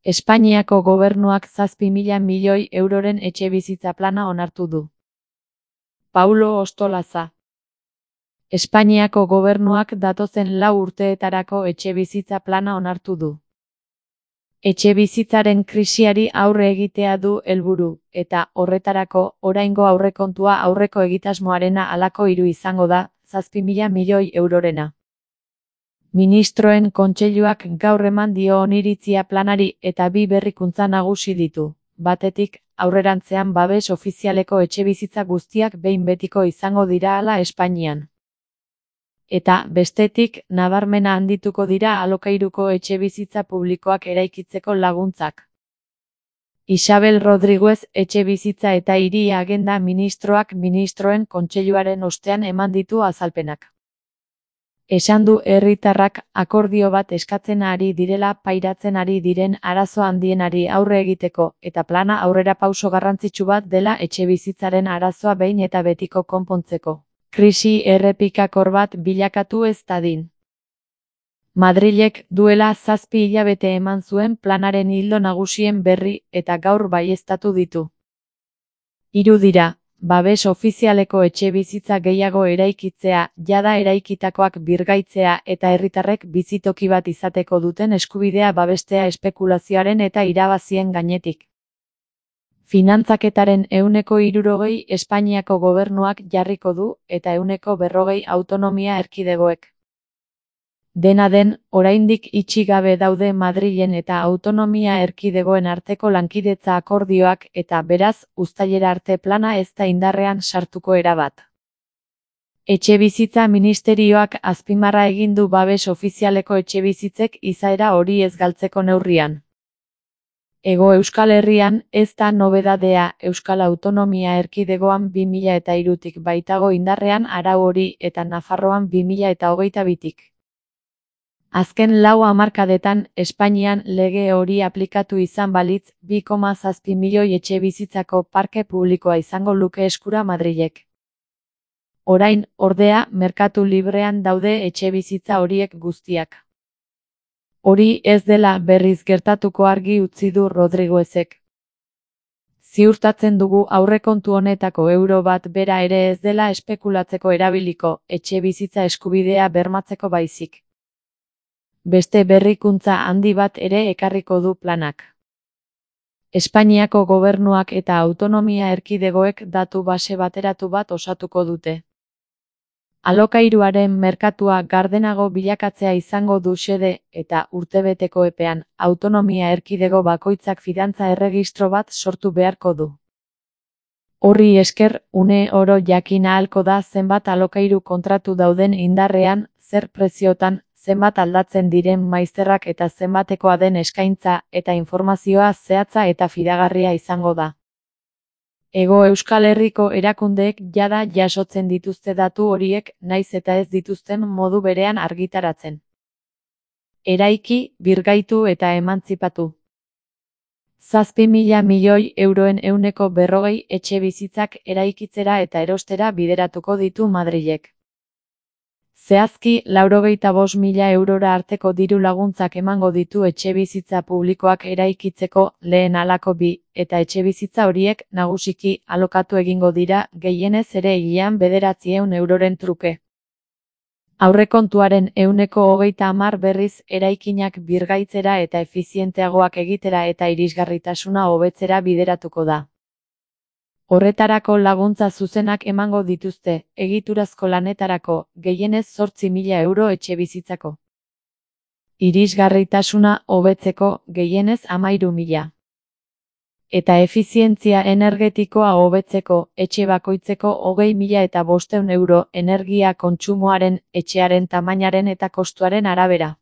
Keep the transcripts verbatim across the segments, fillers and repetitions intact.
Espainiako gobernuak zazpi mila milioi euroren etxebizitza plana onartu du. Paulo Ostolaza. Espainiako gobernuak datozen lau urteetarako etxebizitza plana onartu du. Etxebizitzaren krisiari aurre egitea du helburu, eta horretarako oraingo aurrekontua aurreko egitasmoarena halako hiru izango da, zazpi mila milioi eurorena. Ministroen kontseiluak gaur eman dio oniritzia planari eta bi berrikuntza nagusi ditu. Batetik, aurrerantzean babes ofizialeko etxebizitza guztiak behin betiko izango dira hala Espainian. Eta, bestetik, nabarmena handituko dira alokairuko etxebizitza publikoak eraikitzeko laguntzak. Isabel Rodríguez etxebizitza eta hiri agenda ministroak ministroen kontseiluaren ostean eman ditu azalpenak. Esan du herritarrak akordio bat eskatzen ari direla pairatzen ari diren arazo handienari aurre egiteko eta plana aurrerapauso garrantzitsu bat dela etxebizitzaren arazoa behin eta betiko konpontzeko. Krisi errepikakor bat bilakatu ez dadin. Madrilek duela zazpi hilabete eman zuen planaren ildo nagusien berri eta gaur baieztatu ditu. Hiru dira. Babes ofizialeko etxebizitza gehiago eraikitzea, jada eraikitakoak birgaitzea eta herritarrek bizitoki bat izateko duten eskubidea babestea espekulazioaren eta irabazien gainetik. Finantzaketaren ehuneko hirurogei Espainiako gobernuak jarriko du eta ehuneko berrogei autonomia erkidegoek. Dena den, oraindik itxi gabe daude Madrilen eta autonomia erkidegoen arteko lankidetza akordioak eta beraz, uztailera arte plana ez da indarrean sartuko erabat. Etxebizitza ministerioak azpimarra egin du babes ofizialeko etxebizitzek izaera hori ez galtzeko neurrian. Hego Euskal Herrian ez da nobedadea Euskal Autonomia Erkidegoan bi mila eta hirutik baitago indarrean arau hori eta Nafarroan bi mila eta hogeita bitik. Azken lau hamarkadetan Espainian lege hori aplikatu izan balitz bi koma zazpi milioi etxebizitzako parke publikoa izango luke eskura Madrilek. Orain, ordea, merkatu librean daude etxebizitza horiek guztiak. Hori ez dela berriz gertatuko argi utzi du Rodríguezek. Ziurtatzen dugu aurrekontu honetako euro bat bera ere ez dela espekulatzeko erabiliko, etxebizitza eskubidea bermatzeko baizik. Beste berrikuntza handi bat ere ekarriko du planak. Espainiako gobernuak eta autonomia erkidegoek datu base bateratu bat osatuko dute. Alokairuaren merkatua gardenago bilakatzea izango du xede eta urtebeteko epean autonomia erkidego bakoitzak fidantza erregistro bat sortu beharko du. Horri esker, une oro jakin ahalko da zenbat alokairu kontratu dauden indarrean, zer preziotan, zenbat aldatzen diren maizterrak eta zenbatekoa den eskaintza eta informazioa zehatza eta fidagarria izango da. Hego Euskal Herriko erakundeek jada jasotzen dituzte datu horiek naiz eta ez dituzten modu berean argitaratzen. Eraiki, birgaitu eta emantzipatu. Zazpi mila milioi euroen ehuneko berrogei etxebizitzak eraikitzera eta erostera bideratuko ditu Madrilek. Zehazki, laurogeita bost mila eurora arteko diru laguntzak emango ditu etxebizitza publikoak eraikitzeko lehen halako bi, eta etxebizitza horiek nagusiki alokatu egingo dira gehienez ere hilean bederatziehun euroren truke. Aurrekontuaren ehuneko hogeita hamar berriz eraikinak birgaitzera eta efizienteagoak egitera eta irisgarritasuna hobetzera bideratuko da. Horretarako laguntza zuzenak emango dituzte, egiturazko lanetarako, gehienez zortzi mila euro etxebizitzako. Irisgarritasuna hobetzeko, gehienez hamairu mila. Eta efizientzia energetikoa hobetzeko, etxe bakoitzeko hogei mila eta bostehun euro energia kontsumoaren, etxearen tamainaren eta kostuaren arabera.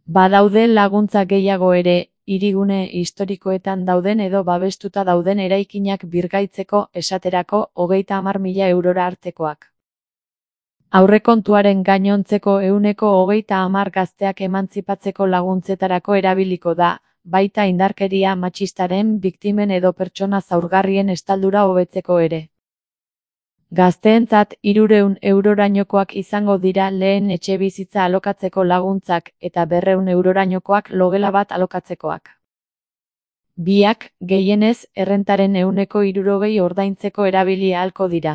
Badaude laguntza gehiago ere, hirigune historikoetan dauden edo babestuta dauden eraikinak birgaitzeko esaterako hogeita hamar mila eurora artekoak. Aurrekontuaren gainontzeko ehuneko hogeita hamar gazteak emantzipatzeko laguntzetarako erabiliko da, baita indarkeria matxistaren biktimen edo pertsona zaurgarrien estaldura hobetzeko ere. Gazteentzat hirurehun eurorainokoak izango dira lehen etxebizitza alokatzeko laguntzak eta berrehun eurorainokoak logela bat alokatzekoak. Biak, gehienez, errentaren ehuneko hirurogei ordaintzeko erabili ahalko dira.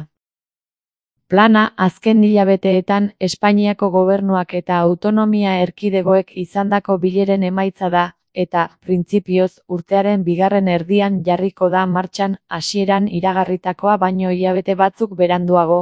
Plana, azken hilabeteetan, Espainiako gobernuak eta autonomia erkidegoek izandako bileren emaitza da, eta, printzipioz, urtearen bigarren erdian jarriko da martxan, hasieran iragarritakoa baino hilabete batzuk beranduago.